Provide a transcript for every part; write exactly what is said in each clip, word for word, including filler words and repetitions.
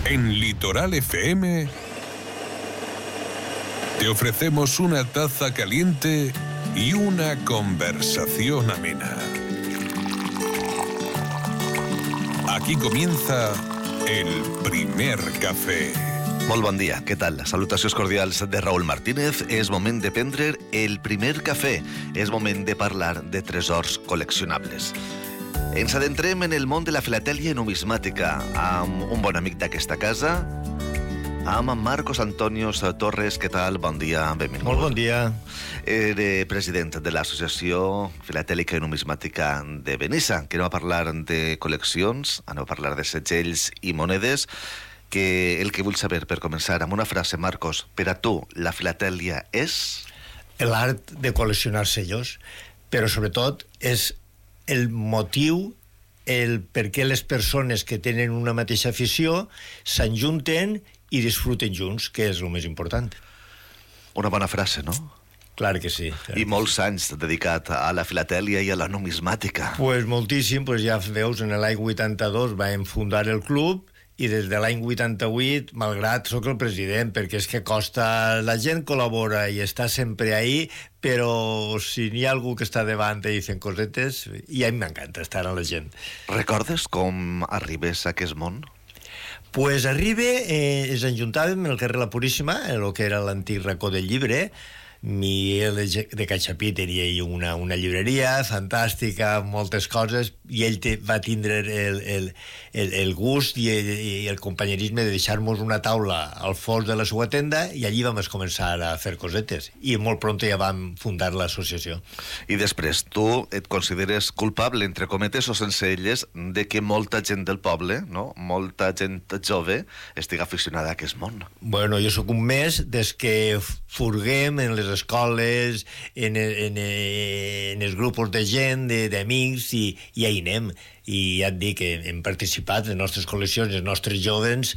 En Litoral F M te ofrecemos una taza caliente y una conversación amena. Aquí comienza el primer cafè. Molt bon dia, què tal? Salutacions cordials de Raúl Martínez. És moment de prendre el primer cafè. És moment de parlar de tresors col·leccionables. Ens adentrem en el món de la filatèlia numismàtica amb un bon amic d'aquesta casa, amb Marcos Antonio Torres. Què tal? Bon dia, benvingut. Molt bon dia. Era president de l'Associació Filatèlica i Numismàtica de Benissa, que anem a parlar de col·leccions, anem a parlar de segells i monedes, que el que vull saber, per començar, amb una frase, Marcos, per a tu, la filatèlia és? L'art de col·leccionar sellos, però sobretot és el motiu, el per què les persones que tenen una mateixa afició s'enjunten i disfruten junts, que és el més important. Una bona frase, no? Clar que sí. Clar I molts anys dedicat a la filatèlia i a la numismàtica. Pues moltíssim, pues ja veus, en l'any vuitanta-dos vam fundar el club i des de l'any vuitanta-vuit, malgrat sóc el president, perquè és que costa, la gent col·labora i està sempre ahí, però si n'hi ha algú que està davant i dicen cosetes, i a mi m'encanta estar amb la gent. Recordes com arribes a aquest món? Pues arriba, eh, ens enjuntàvem en el carrer La Puríssima, en el que era l'antic racó del llibre. Miguel de Cachapí tenia una, una llibreria fantàstica, moltes coses, i ell te, va tindre el, el, el, el gust i el, i el companyerisme de deixar-nos una taula al fons de la seva tenda, i allí vam començar a fer cosetes, i molt pront ja vam fundar l'associació. I després, tu et consideres culpable, entre cometes o sense elles, de que molta gent del poble, no? Molta gent jove, estigui aficionada a aquest món? Bueno, jo sóc un mes des que furguem en les escoles, en, en, en els grups de gent, d'amics, i, i ahí anem. I ja et dic que hem participat, les nostres col·leccions, els nostres joves,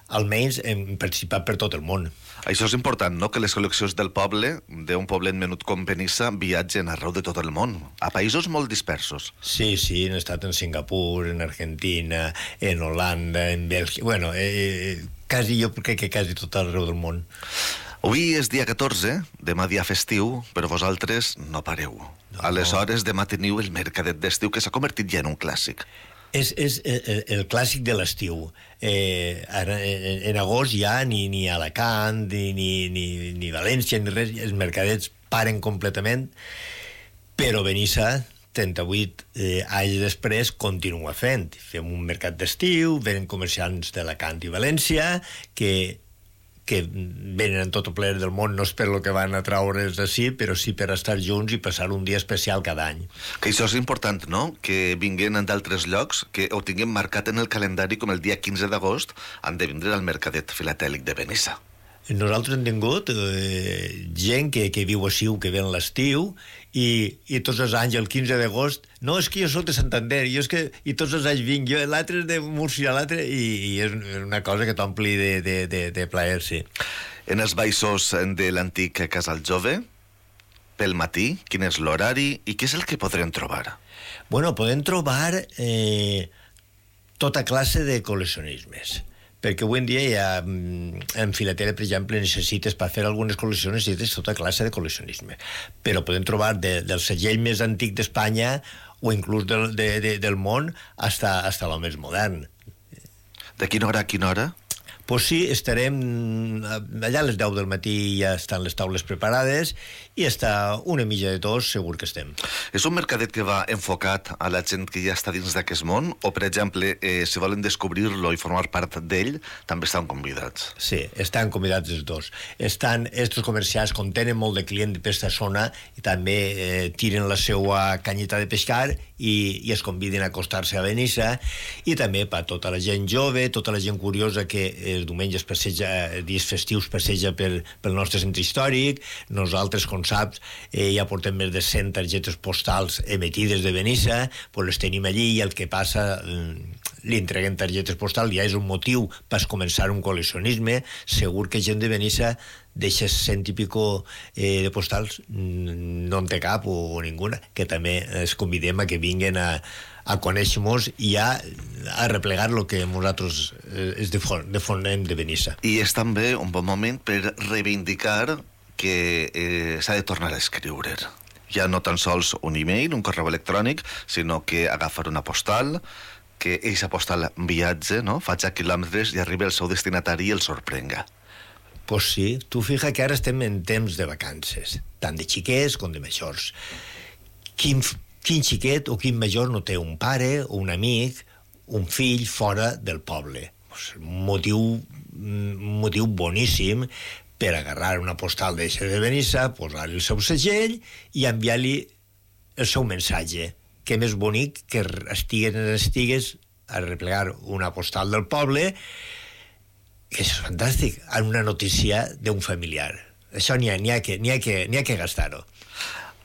almenys hem participat per tot el món. Això és important, no?, que les col·leccions del poble, d'un poblet menut com Benissa, viatgen arreu de tot el món, a països molt dispersos. Sí, sí, hem estat en Singapur, en Argentina, en Holanda, en Bèlgica, bueno, eh, quasi, jo crec que quasi tot arreu del món. Avui és dia catorze, demà dia festiu, però vosaltres no pareu. No. Aleshores, demà teniu el mercadet d'estiu, que s'ha convertit ja en un clàssic. És, és el, el clàssic de l'estiu. Eh, en, en agost ja ni, ni Alacant, ni, ni, ni, ni València, ni res, els mercadets paren completament, però Benissa, trenta-vuit eh, anys després, continua fent. Fem un mercat d'estiu, venen comerciants d'Alacant i València, que que venen en tot el ple del món, no és per lo que van a traure's d'ací, però sí per estar junts i passar un dia especial cada any. Que això és important, no?, que vinguin d'altres llocs, que ho tinguem marcat en el calendari com el dia quinze d'agost, han de vindre al mercadet filatèlic de Benissa. Nosaltres hem tingut eh, gent que, que viu a Siu, que ve en l'estiu, i, i tots els anys, el quinze d'agost, no, és que jo soc de Santander, jo és que, i tots els anys vinc, jo, l'altre és de Múrcia, l'altre, i, i és una cosa que t'ompli de, de, de, de plaer, sí. En els baixos de l'antic Casal Jove, pel matí, quin és l'horari i què és el que podrem trobar? Bueno, podem trobar eh, tota classe de col·leccionismes, perquè avui en dia ja en filatèlia, per exemple, necessites per fer algunes col·leccions, necessites tota classe de col·leccionisme, però podem trobar de, del segell més antic d'Espanya o inclús del, de, de, del món hasta, hasta el més modern. De quina hora a quina hora? Pues sí, estarem allà a les deu del matí, ja estan les taules preparades i està una mitja de tots, segur que estem. És un mercadet que va enfocat a la gent que ja està dins d'aquest món, o, per exemple, eh, si volen descobrir-lo i formar part d'ell, també estan convidats? Sí, estan convidats els dos. Estan estos comerciants, com tenen molt de client per aquesta zona, i també eh, tiren la seva canyeta de pescar i, i es conviden a acostar-se a Benissa, i també per tota la gent jove, tota la gent curiosa que eh, els diumenges passeja, dies festius passeja per, pel nostre centre històric. Nosaltres, com saps, eh, ja portem més de cent targetes postals emetides de Benissa, pues les tenim allí, i el que passa, li entreguem targetes postals, ja és un motiu per començar un col·leccionisme. Segur que gent de Benissa deixa cent i pico eh, de postals, no en té cap o, o ninguna, que també es convidem a que vinguin a, a conèixer-nos i a, a replegar el que nosaltres eh, és de, fon, de fonem de Benissa. I és també un bon moment per reivindicar que eh, s'ha de tornar a escriure. Ja no tan sols un e-mail, un correu electrònic, sinó que agafar una postal, que eixa postal viatge, no? Faig quilòmetres i arriba al seu destinatari i el sorprenga. Pues sí, tu fija que ara estem en temps de vacances, tant de xiquets com de majors. Quin, quin xiquet o quin major no té un pare o un amic, un fill fora del poble? Pues un motiu, un motiu boníssim per agarrar una postal d'eixa de Benissa, posar-li el seu segell i enviar-li el seu missatge. Què més bonic que estigues en estigues a replegar una postal del poble, que això és fantàstic, en una notícia d'un familiar. Això n'hi ha, n'hi ha que, n'hi ha que, n'hi ha que gastar-ho.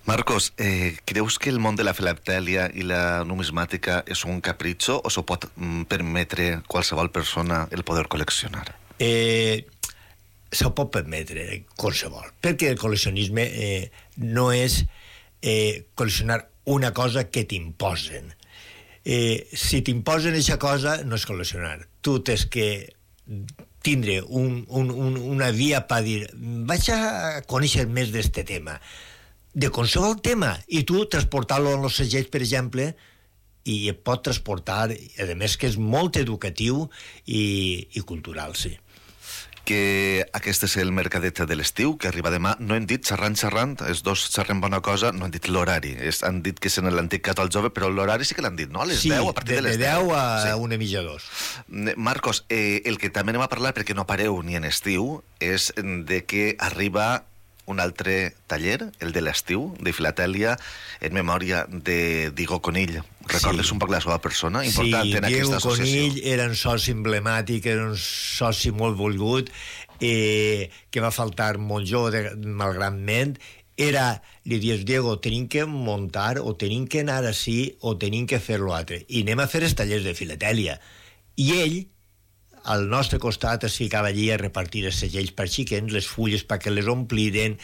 Marcos, eh, creus que el món de la filatèlia i la numismàtica és un capritxo o s'ho pot mm, permetre qualsevol persona el poder col·leccionar? Eh, s'ho pot permetre qualsevol, perquè el col·leccionisme eh, no és eh, col·leccionar una cosa que t'imposen. Eh, si t'imposen aquesta cosa, no és col·leccionar. Tu tens que tindre un, un, un, una via per dir vaig a conèixer més d'este tema, de qualsevol tema, i tu transportar-lo en els segells, per exemple, i et pot transportar, a més que és molt educatiu i, i cultural, sí. Que aquest és el mercadet de l'estiu, que arriba demà. No hem dit, xerrant, xerrant, els dos xerrem bona cosa, no han dit l'horari. Es, han dit que és en l'antic Casal Jove, però l'horari sí que l'han dit, no? A les sí, deu, a partir de, de les deu. Sí, de deu a sí. una mitja dos. Marcos, eh, el que també anem a parlar, perquè no pareu ni en estiu, és de que arriba un altre taller, el de l'estiu, de filatèlia, en memòria de Diego Conill. Recordes sí. un poc la seva persona important sí, en aquesta associació? Sí, Diego Conill era un soci emblemàtic, era un soci molt volgut, eh, que va faltar molt jove, malgratment. Era, li dius, Diego, tenim que muntar, o tenim que anar així, o tenim que fer l'altre. I anem a fer els tallers de filatèlia. I ell, al nostre costat, es ficava allí a repartir els segells per xiquens, les fulles perquè les ompliren,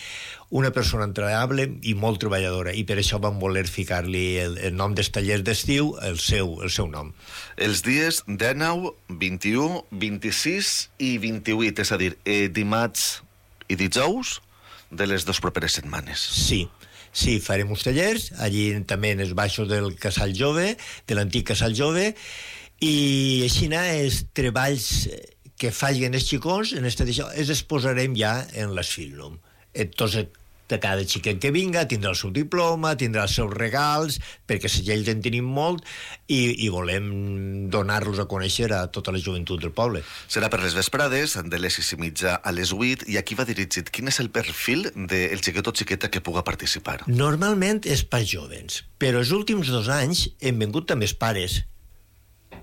una persona entregable i molt treballadora, i per això vam voler ficar-li el, el nom dels tallers d'estiu, el seu, el seu nom. Els dies dinou, vint-i-u, vint-i-sis i vint-i-vuit, és a dir, eh, dimarts i dijous de les dues properes setmanes. Sí. Sí, farem uns tallers, allí també en els baixos del Casal Jove, de l'antic Casal Jove, i així els treballs que facin els xicons en este d'això, els exposarem ja en l'Asfilnum. Entonces, de cada xiquet que vinga tindrà el seu diploma, tindrà els seus regals, perquè segells en tenim molt i, i volem donar-los a conèixer a tota la joventut del poble. Serà per les vesprades, de les sis i mitja a les vuit, i aquí va dirigit. Quin és el perfil del xiquet o xiqueta que puga participar? Normalment és per jovens, però els últims dos anys hem vingut també els pares.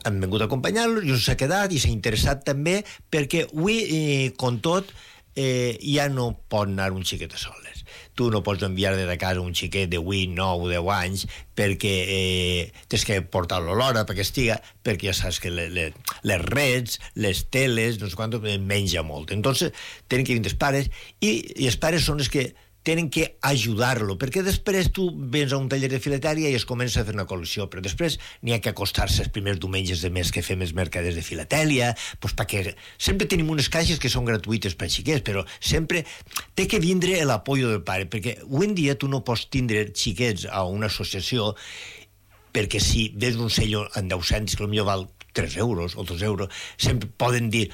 Han vingut a acompanyar-los i s'ha quedat i s'ha interessat també, perquè avui, eh, com tot, eh, ja no pot anar un xiquet a soles. Tu no pots enviar de casa un xiquet de vuit, nou, deu anys perquè eh, tens que portar-lo a l'hora perquè estiga, perquè ja saps que le, le, les reds, les teles, no sé quant, menja molt. Entonces, tenen que vindre els pares i, i els pares són els que tenen que ajudar-lo, perquè després tu vens a un taller de filatèlia i es comença a fer una col·lecció, però després n'hi ha que acostar-se els primers diumenges de mes que fem els mercaders de filatèlia, doncs perquè sempre tenim unes caixes que són gratuïtes per xiquets, però sempre té que vindre l'apoyo del pare, perquè avui en dia tu no pots tindre xiquets a una associació perquè si ves un sello en deu-cents que potser val tres euros o dos euros, sempre poden dir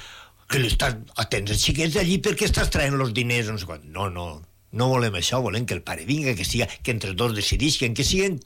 que l'estàs atents als xiquets d'allí perquè estàs traient els diners, no sé quan. No, no, no volem això, volem que el pare vinga, que, siga, que entre els dos decidisquen, que siguin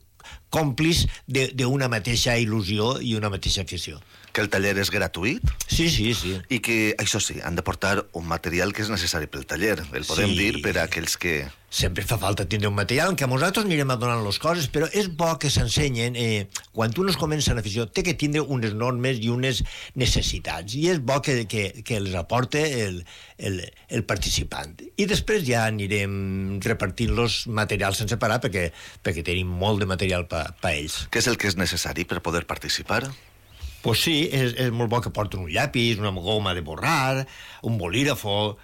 còmplices d'una mateixa il·lusió i una mateixa afició. Que el taller és gratuït? Sí, sí, sí. I que, això sí, han de portar un material que és necessari pel taller. El podem sí. dir per a aquells que... Sempre fa falta tindre un material, que a nosaltres anirem a donar les coses, però és bo que s'ensenyen. Eh, quan un es comença en afició, té que tindre unes normes i unes necessitats, i és bo que, que, que les aporte el, el, el participant. I després ja anirem repartint los materials sense parar, perquè, perquè tenim molt de material per pa ells. Què és el que és necessari per poder participar? Pues sí, és, és molt bo que porten un llapis, una goma de borrar, un bolígrafo,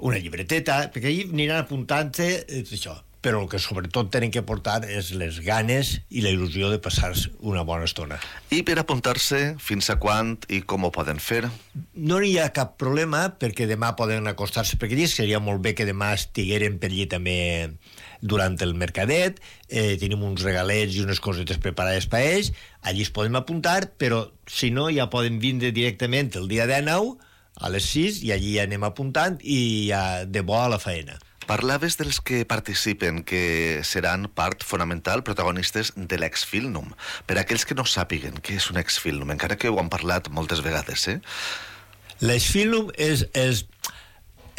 una llibreteta, perquè ahir aniran apuntant-se això. però el que sobretot tenen que portar és les ganes i la il·lusió de passar una bona estona. I per apuntar-se, fins a quan i com ho poden fer? No hi ha cap problema, perquè demà poden acostar-se per aquí, seria molt bé que demà estigueren per allí també durant el mercadet, eh, tenim uns regalets i unes cosetes preparades per ells, allí es poden apuntar, però si no ja poden vindre directament el dia dinou a les sis i allí anem apuntant i ja de bo a la feina. Parlaves dels que participen, que seran part fonamental, protagonistes de l'Exfilnum. Per a aquells que no sàpiguen què és un Exfilnum, encara que ho han parlat moltes vegades, eh? L'Exfilnum és... és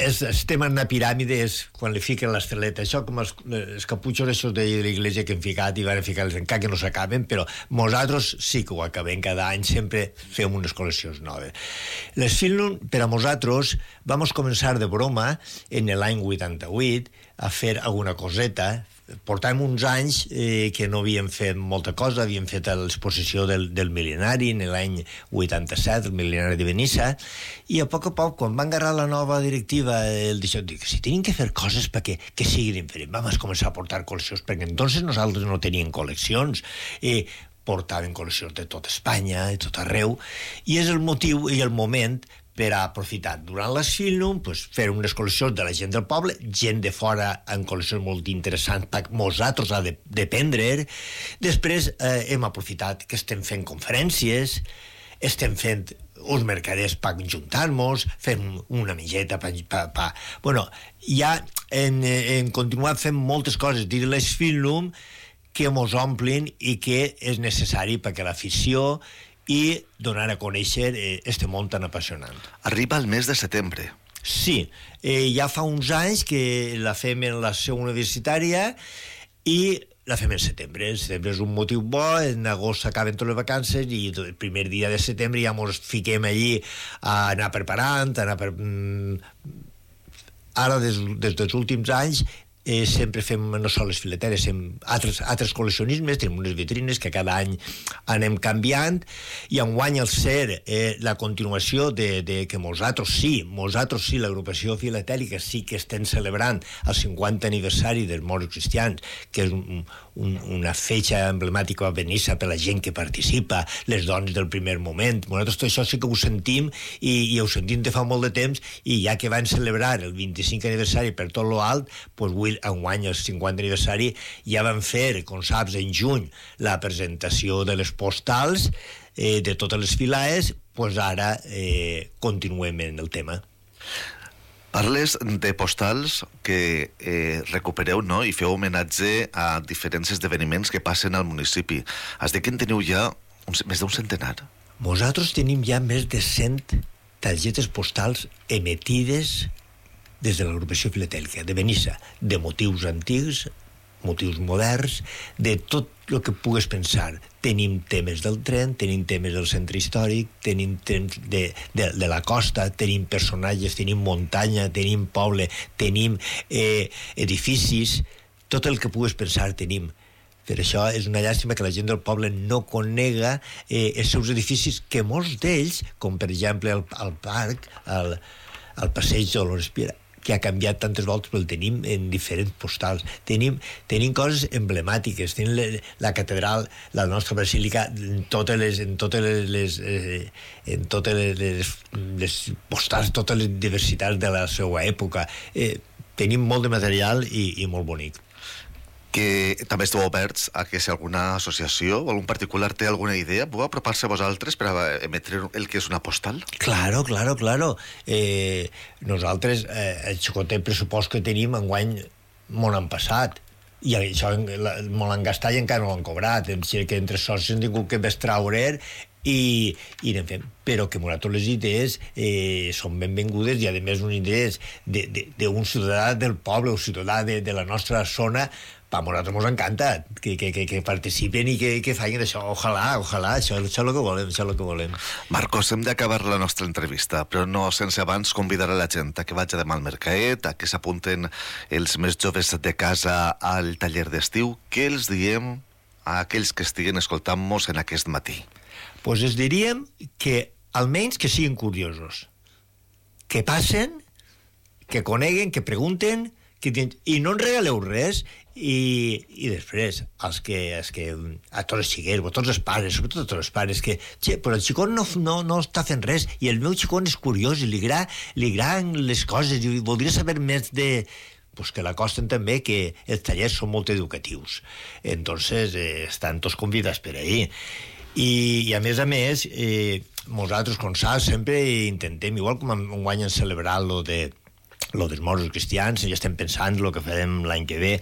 és, estem en una piràmide, és quan li fiquen l'esteleta, això com els, els caputxos això de l'església que hem ficat i van ficar-les encara que no s'acaben, però nosaltres sí que ho acabem cada any, sempre fem unes col·leccions noves. L'Exfilnum, per a nosaltres, vam començar de broma en l'any vuitanta-vuit a fer alguna coseta. Portàvem uns anys eh, que no havíem fet molta cosa, havíem fet l'exposició del, del mil·lenari en l'any vuitanta-set, el mil·lenari de Benissa, i a poc a poc, quan van agarrar la nova directiva, el deixó, dic, si tenim que fer coses perquè que siguin diferents, vam començar a portar col·leccions, perquè entonces nosaltres no teníem col·leccions, i portaven col·leccions de tot Espanya, de tot arreu, i és el motiu i el moment per a aprofitar durant l'Exfilnum, pues, fer unes col·leccions de la gent del poble, gent de fora en col·leccions molt interessants per nosaltres a de, dependre. Després eh, hem aprofitat que estem fent conferències, estem fent uns mercaders per juntar-nos, fent una mitjeta per... pa, pa. Bueno, ja hem, hem continuat fent moltes coses dins l'Exfilnum que mos omplin i que és necessari perquè l'afició i donar a conèixer eh, este món tan apassionant. Arriba el mes de setembre. Sí, eh, ja fa uns anys que la fem en la seu universitària i la fem en setembre. El setembre és un motiu bo, en agost s'acaben totes les vacances i el primer dia de setembre ja ens fiquem allí a anar preparant, a anar per... Ara, des, des dels últims anys, Eh, sempre fem no sols les fileteres, fem altres, altres col·leccionismes, tenim unes vitrines que cada any anem canviant, i enguany al ser eh, la continuació de, de que nosaltres sí, nosaltres sí, l'agrupació filatèlica sí que estem celebrant el cinquanta aniversari dels Moros Cristians, que és un, un, una fetge emblemàtica a Benissa per la gent que participa, les dones del primer moment. Nosaltres tot això sí que ho sentim i, i ho sentim de fa molt de temps, i ja que van celebrar el vint-i-cinquè aniversari per tot lo alt, doncs avui enguany el cinquanta aniversari ja van fer, com saps, en juny la presentació de les postals eh, de totes les filaes, doncs ara eh, continuem en el tema. Parles de postals que eh, recupereu, no?, i feu homenatge a diferents esdeveniments que passen al municipi. Has dit que en teniu ja un, més d'un centenar. Nosaltres tenim ja més de cent targetes postals emetides des de l'agrupació filatèlica de Benissa, de motius antics, motius moderns, de tot el que pugues pensar. Tenim temes del tren, tenim temes del centre històric, tenim temes de, de, de la costa, tenim personatges, tenim muntanya, tenim poble, tenim eh, edificis, tot el que pugues pensar tenim. Per això és una llàstima que la gent del poble no conega eh, els seus edificis, que molts d'ells, com per exemple el, el parc, el, el passeig de l'Orespira, que ha canviat tantes voltes, però el tenim en diferents postals. Tenim, tenim coses emblemàtiques, tenim la, la catedral, la nostra basílica, en totes les, en totes les, les, eh, en totes les, les, les postals, totes les diversitats de la seva època. Eh, tenim molt de material i, i molt bonic. Que també esteu oberts a que si alguna associació o algun particular té alguna idea, puc apropar-se a vosaltres per a emetre el que és una postal? Claro, claro, claro. Eh, nosaltres, eh, el xocotet pressupost que tenim enguany molt han passat, i això molt han gastat i encara no l'han cobrat, que entre socis hem tingut que bestraure i, i anem fent, però que nosaltres les idees eh, són benvingudes, i a més unes idees d'un ciutadà del poble, un ciutadà de, de la nostra zona. A nosaltres ens encanta que, que, que, que participen i que, que facin això. Ojalà, ojalà, això, això és el que volem, això és el que volem. Marcos, hem d'acabar la nostra entrevista, però no sense abans convidar a la gent a que vagi demà al mercaet, a que s'apunten els més joves de casa al taller d'estiu. Què els diem a aquells que estiguen escoltant-nos en aquest matí? Pues els diríem que almenys que siguin curiosos, que passen, que coneguen, que pregunten, que ten... i no en regaleu res, i, i després els que, els que a tots els xiquets, a tots els pares, sobretot a tots els pares, que che, però el xicot no, no, no està fent res, i el meu xicot és curiós i li agraden, li agraden les coses i voldria saber més de... pues que l'acosten també, que els tallers són molt educatius, entonces eh, estan tots convidats per ahí. I, i a més a més eh, nosaltres com saps sempre intentem, igual com enguany hem celebrat lo de lo dels morts cristians, ja estem pensant el que farem l'any que ve,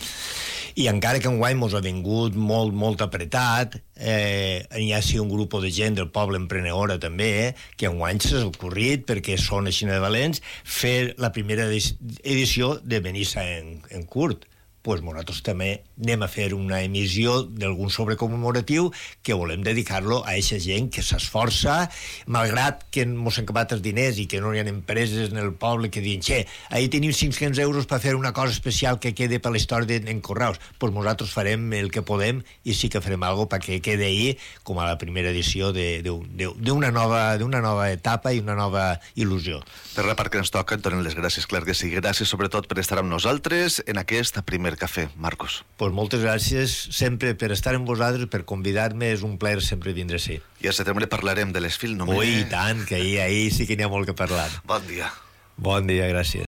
i encara que enguany mos ha vingut molt, molt apretat, eh, hi ha sí un grup de gent del poble emprenedora també, eh, que enguany s'ha ocorrit, perquè són així de valents, fer la primera edició de Benissa en, en curt. Pues nosaltres també anem a fer una emissió d'algun sobre commemoratiu que volem dedicar-lo a aquesta gent que s'esforça, malgrat que mos han acabat els diners i que no hi ha empreses en el poble que diuen, che, ahir tenim cinc-cents euros per fer una cosa especial que quede per la història en Correus. Pues nosaltres farem el que podem i sí que farem alguna cosa perquè quede ahir com a la primera edició d'una nova, d'una nova etapa i una nova il·lusió. Per la part que ens toca, et donem les gràcies, clar que sí. Gràcies sobretot per estar amb nosaltres en aquest primer cafè, Marcos. Pues moltes gràcies sempre per estar amb vosaltres, per convidar-me, és un plaer sempre vindre així. I a setembre parlarem de les films, no? Ui, i tant, que ahir, ahir sí que n'hi ha molt que parlar. Bon dia. Bon dia, gràcies.